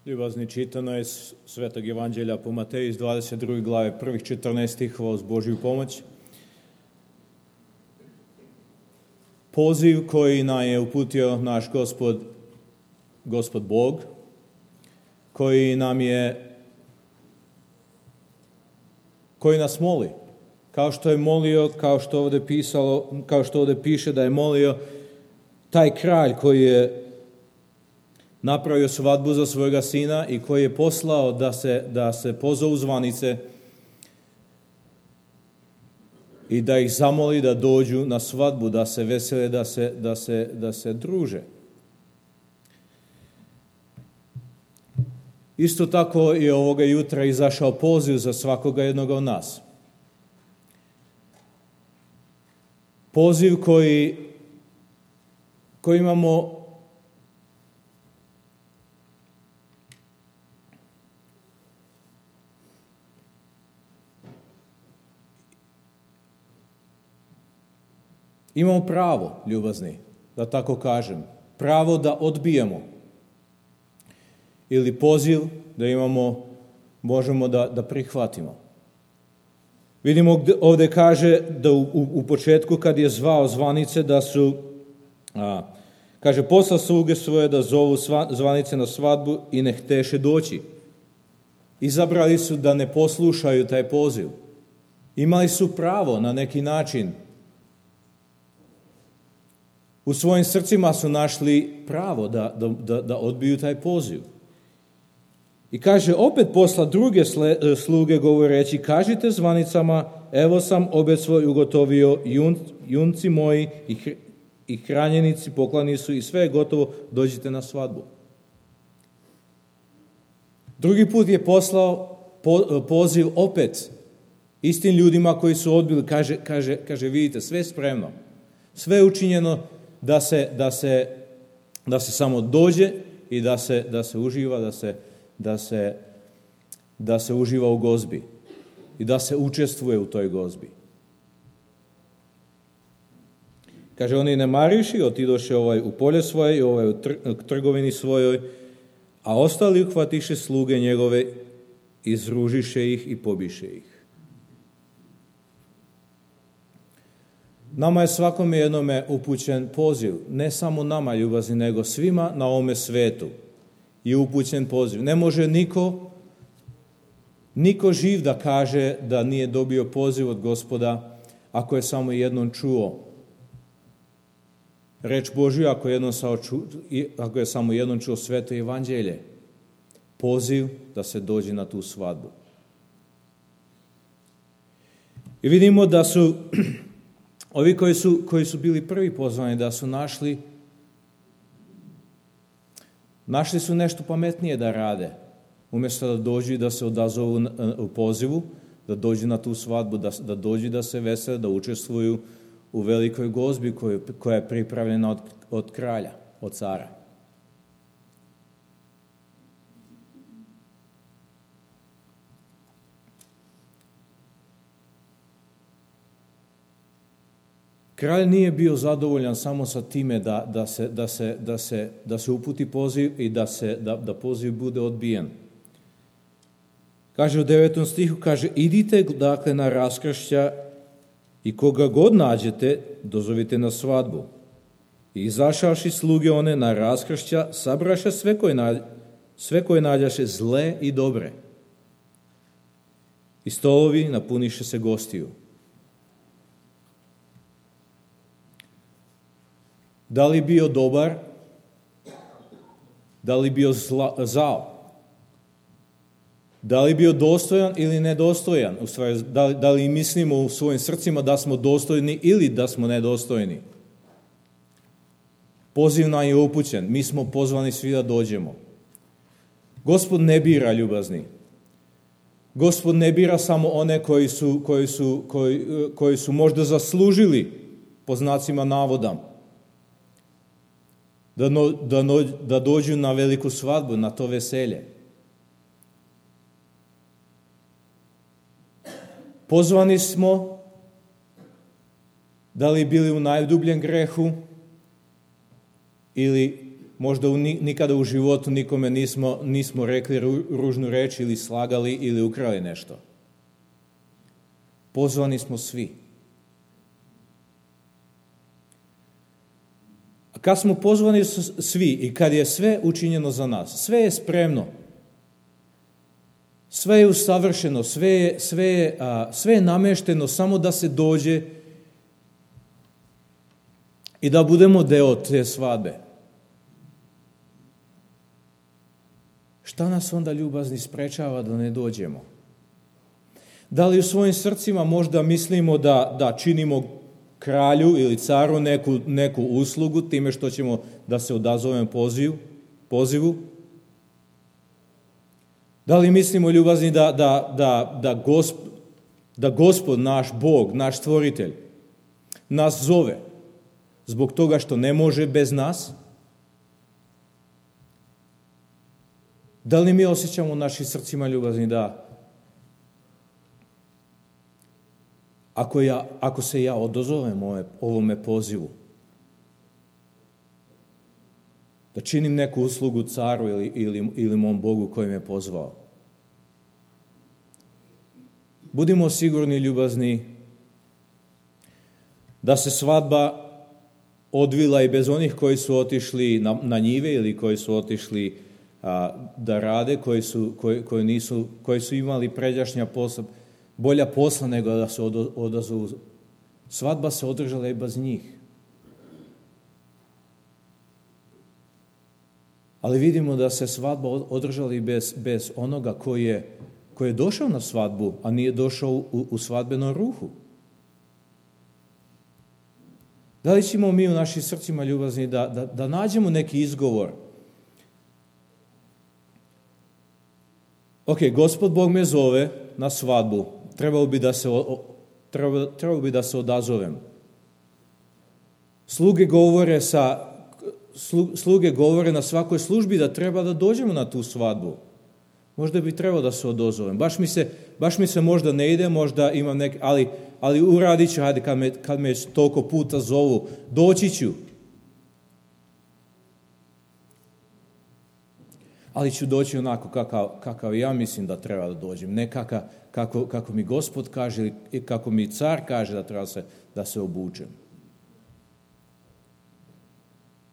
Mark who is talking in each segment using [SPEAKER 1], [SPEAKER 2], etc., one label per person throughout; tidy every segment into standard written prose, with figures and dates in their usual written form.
[SPEAKER 1] Ljubazni, čitano je Svetog Evanđelja po Mateju iz 22. glave, prvih 14 stihova uz Božju pomoć. Poziv koji nam je uputio naš Gospod Bog, koji nas moli. Kao što je molio, kao što ovdje piše da je molio taj kralj koji je napravio svadbu za svojega sina i koji je poslao da se pozovu zvanice i da ih zamoli da dođu na svadbu, da se vesele, da se druže. Isto tako je ovoga jutra izašao poziv za svakoga jednoga od nas. Poziv koji imamo pravo, ljubazni, da tako kažem, pravo da odbijemo. Ili poziv da možemo da prihvatimo. Vidimo ovdje kaže da u početku kad je zvao zvanice da su, kaže, poslao sluge svoje da zovu zvanice na svadbu i ne hteše doći. Izabrali su da ne poslušaju taj poziv. Imali su pravo na neki način. U svojim srcima su našli pravo da odbiju taj poziv. I kaže, opet posla druge sluge govoreći, kažite zvanicama, evo sam obed svoj ugotovio, junci moji i hranjenici poklani su i sve je gotovo, dođite na svadbu. Drugi put je poslao poziv opet istim ljudima koji su odbili, kaže vidite, sve je spremno, sve je učinjeno da se samo dođe i da se uživa, da se uživa u gozbi i da se učestvuje u toj gozbi. Kaže, oni ne mariši, otidoše u polje svoje i u trgovini svojoj, a ostali uhvatiše sluge njegove, izružiše ih i pobiše ih. Nama je svakome jednome upućen poziv, ne samo nama, ljubazni, nego svima na ovome svetu je upućen poziv. Ne može niko živ da kaže da nije dobio poziv od Gospoda ako je samo jednom čuo reč Božju, ako je samo jednom čuo sveto evanđelje. Poziv da se dođe na tu svadbu. I vidimo da su ovi koji su bili prvi pozvani, da su našli su nešto pametnije da rade. Umjesto da dođu i da se odazovu u pozivu, da dođu na tu svadbu, da dođu da se vesele, da učestvuju u velikoj gozbi koja je pripravljena od kralja, od cara. Kralj nije bio zadovoljan samo sa time da se uputi poziv i da poziv bude odbijen. Kaže u 9. stihu, kaže, idite dakle na raskršća i koga god nađete, dozovite na svadbu. I izašavši sluge one na raskršća, sabraša sve koje nađaše zle i dobre. I stolovi napuniše se gostiju. Da li bio dobar, da li bio zao, da li bio dostojan ili nedostojan, u stvari, da li mislimo u svojim srcima da smo dostojni ili da smo nedostojni. Poziv nam je upućen, mi smo pozvani svi da dođemo. Gospod ne bira, ljubazni. Gospod ne bira samo one koji su možda zaslužili, po znacima navoda, da dođu na veliku svadbu, na to veselje. Pozvani smo, da li bili u najdubljem grehu ili možda nikada u životu nikome nismo rekli ružnu reč ili slagali ili ukrali nešto. Pozvani smo svi. A kad smo pozvani svi i kad je sve učinjeno za nas, sve je spremno, sve je usavršeno, sve je namešteno samo da se dođe i da budemo deo te svadbe. Šta nas onda, ljubazni, sprečava da ne dođemo? Da li u svojim srcima možda mislimo da činimo kralju ili caru neku uslugu time što ćemo da se odazovemo pozivu? Da li mislimo, ljubazni, da Gospod, naš Bog, naš Stvoritelj, nas zove zbog toga što ne može bez nas? Da li mi osjećamo u našim srcima, ljubazni, da ako se ja odazovem ovome pozivu, da činim neku uslugu caru ili mom Bogu koji me pozvao? Budimo sigurni, ljubazni, da se svadba odvila i bez onih koji su otišli na njive ili koji su otišli da rade, koji su imali pređašnja posla, bolja posla nego da se odazovu. Svadba se održala i bez njih. Ali vidimo da se svadba održala i bez onoga koji je došao na svadbu, a nije došao u svadbenom ruhu. Da li ćemo mi u našim srcima, ljubazni, da nađemo neki izgovor? Ok, Gospod Bog me zove na svadbu, trebao bi da se odazovem. Sluge govore na svakoj službi da treba da dođemo na tu svadbu. Možda bi trebao da se odazovem. Baš mi se možda ne ide, možda imam neki, ali uradit ću, hajde, kad me toliko puta zovu, doći ću. Ali ću doći onako kakav ja mislim da treba da dođem. Ne kako mi Gospod kaže i kako mi car kaže da treba da se obučem.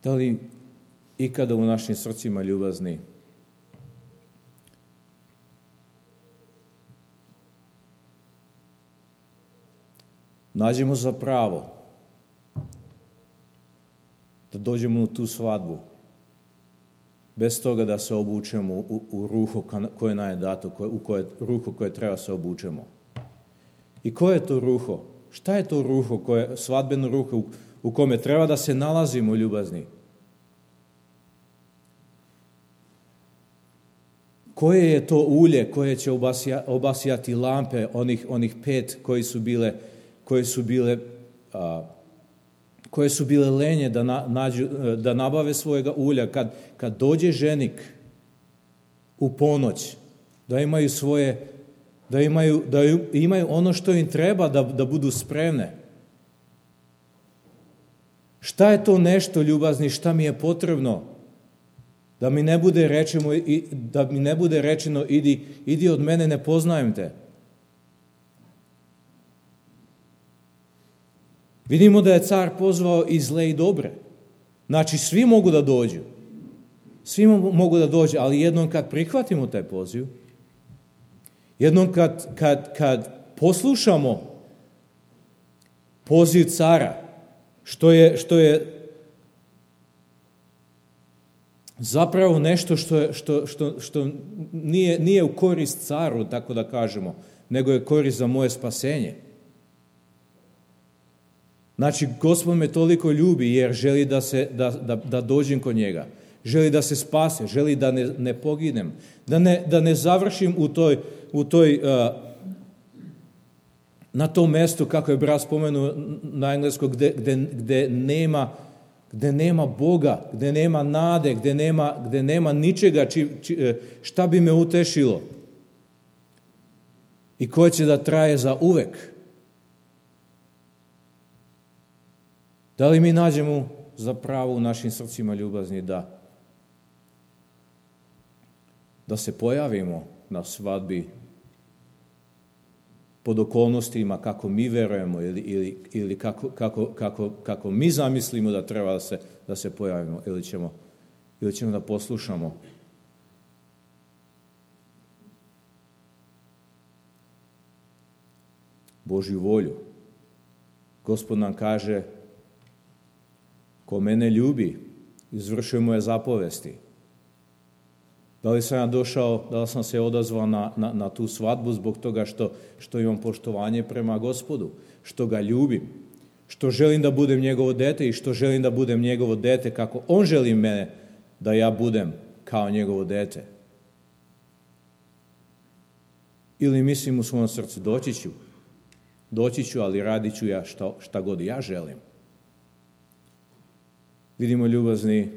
[SPEAKER 1] Da li ikada u našim srcima, ljubazni, nađemo za pravo da dođemo u tu svadbu bez toga da se obučemo u ruho koje nam je dato, u ruho koje treba se obučemo? I koje je to ruho? Šta je to ruho, svadbeno ruho u kome treba da se nalazimo, ljubazni? Koje je to ulje koje će obasjati lampe, onih 5 koje su bile lenje da nabave svojega ulja, kad dođe ženik u ponoć, da imaju ono što im treba da budu spremne. Šta je to nešto, ljubazni, šta mi je potrebno? Da mi ne bude rečeno idi od mene, ne poznajem te. Vidimo da je car pozvao i zle i dobre. Znači, svi mogu da dođu. Svi mogu da dođu, ali jednom kad prihvatimo taj poziv, jednom kad poslušamo poziv cara, što je zapravo nešto što nije u korist caru, tako da kažemo, nego je korist za moje spasenje. Znači, Gospod me toliko ljubi jer želi da dođem kod njega. Želi da se spase, želi da ne poginem, da ne završim na tom mestu, kako je brat spomenuo na engleskom, gde nema Boga, gde nema nade, gde nema ničega šta bi me utešilo i koje će da traje za uvek. Da li mi nađemo za pravo u našim srcima, ljubazni, da se pojavimo na svadbi pod okolnostima kako mi verujemo ili kako mi zamislimo da treba da se pojavimo, ili ćemo da poslušamo Božju volju. Gospod nam kaže, ko mene ljubi, izvršuje moje zapovesti. Da li sam ja došao, da li sam se odazvao na tu svadbu zbog toga što imam poštovanje prema Gospodu, što ga ljubim, što želim da budem njegovo dete i što želim da budem njegovo dete kako on želi mene da ja budem kao njegovo dete. Ili mislim u svom srcu, doći ću, ali radit ću ja šta god ja želim. Vidimo, ljubazni,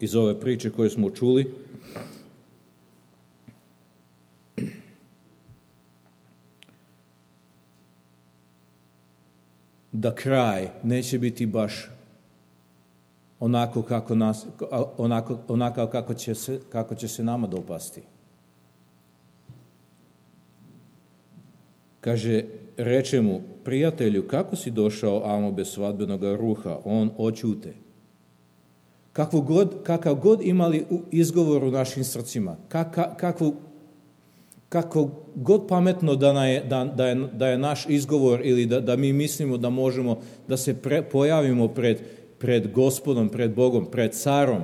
[SPEAKER 1] iz ove priče koje smo čuli, da kraj neće biti baš onako kako će se nama dopasti. Kaže, reče mu, prijatelju, kako si došao amo bez svadbenog ruha? On oćute. Kakav god imali izgovor u našim srcima, kako god pametno da je naš izgovor ili da mi mislimo da možemo da se pojavimo pred Gospodom, pred Bogom, pred carom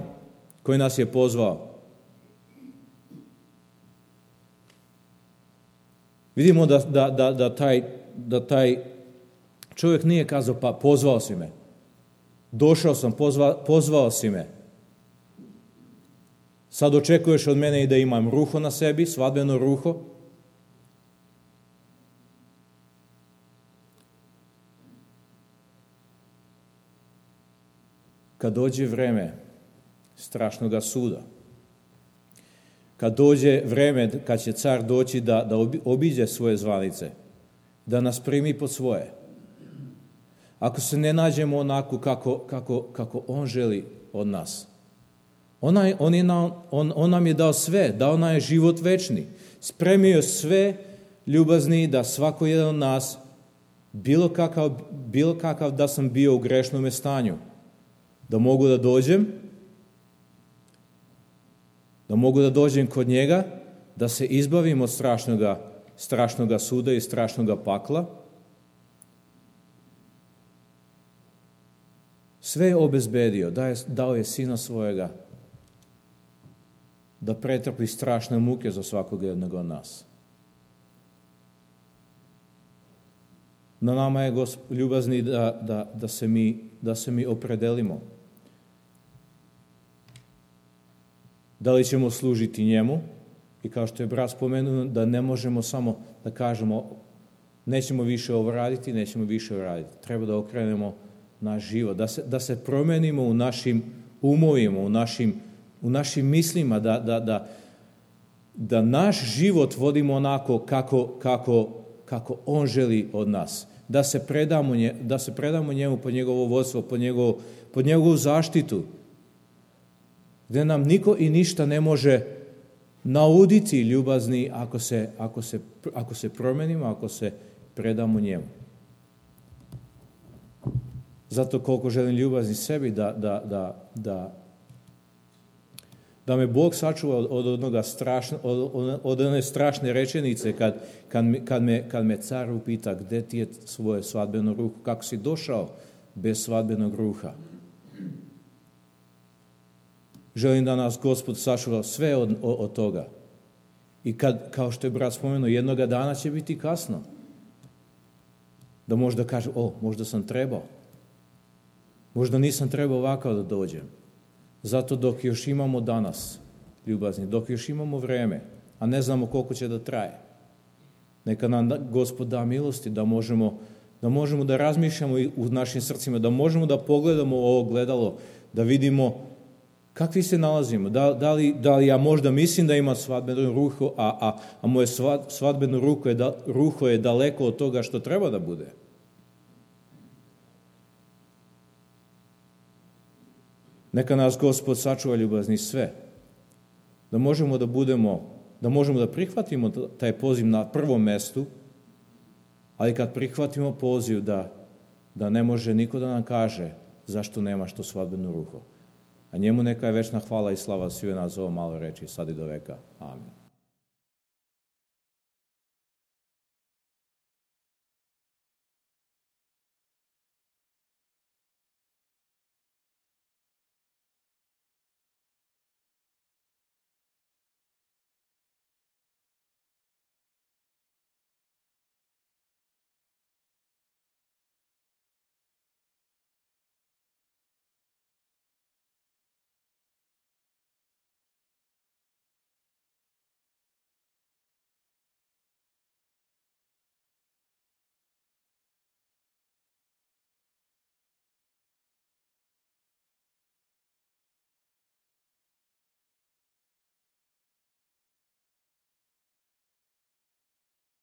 [SPEAKER 1] koji nas je pozvao. Vidimo da taj čovjek nije kazao, pa pozvao si me. Došao sam, pozvao si me. Sad očekuješ od mene i da imam ruho na sebi, svadbeno ruho. Kad dođe vreme strašnoga suda, kad dođe vreme kad će car doći da obiđe svoje zvanice, da nas primi pod svoje, ako se ne nađemo onako kako on želi od nas, on nam je dao sve, dao nam je život večni, spremio sve, ljubazni, da svako jedan od nas, bilo kakav da sam bio u grešnome stanju, da mogu da dođem kod njega, da se izbavim od strašnoga suda i strašnoga pakla. Sve je obezbedio, dao je sina svojega da pretrpi strašne muke za svakog jednog od nas. Na nama je, ljubazni, da se mi opredelimo. Da li ćemo služiti njemu, i kao što je brat spomenuo, da ne možemo samo da kažemo nećemo više ovo raditi, nećemo više raditi. Treba da okrenemo naš život, da se promenimo u našim umovima, u našim mislima, da naš život vodimo onako kako on želi od nas, da se predamo njemu po njegovo vodstvo, po njegovu zaštitu, gdje nam niko i ništa ne može nauditi, ljubazni, ako se promenimo, ako se predamo njemu. Zato koliko želim, ljubazni, sebi da me Bog sačuva od one strašne rečenice kad me car upita gdje ti je svoje svadbeno ruho, kako si došao bez svadbenog ruha. Želim da nas Gospod sačuva sve od toga. I kao što je brat spomenuo, jednoga dana će biti kasno. Da možda kaže, možda sam trebao. Možda nisam trebao ovako da dođem. Zato dok još imamo danas, ljubazni, dok još imamo vreme, a ne znamo koliko će da traje, neka nam Gospod da milosti da možemo da razmišljamo u našim srcima, da možemo da pogledamo ovo gledalo, da vidimo kakvi se nalazimo. Da li ja možda mislim da imam svadbeno ruho, a moje svadbeno ruho je daleko od toga što treba da bude. Neka nas Gospod sačuva, ljubazni, sve. da možemo da prihvatimo taj poziv na prvom mestu, ali kad prihvatimo poziv da ne može niko da nam kaže zašto nemaš to svadbeno ruho. A njemu neka je večna hvala i slava svih nas za ovo malo reči, sad i do veka. Amin.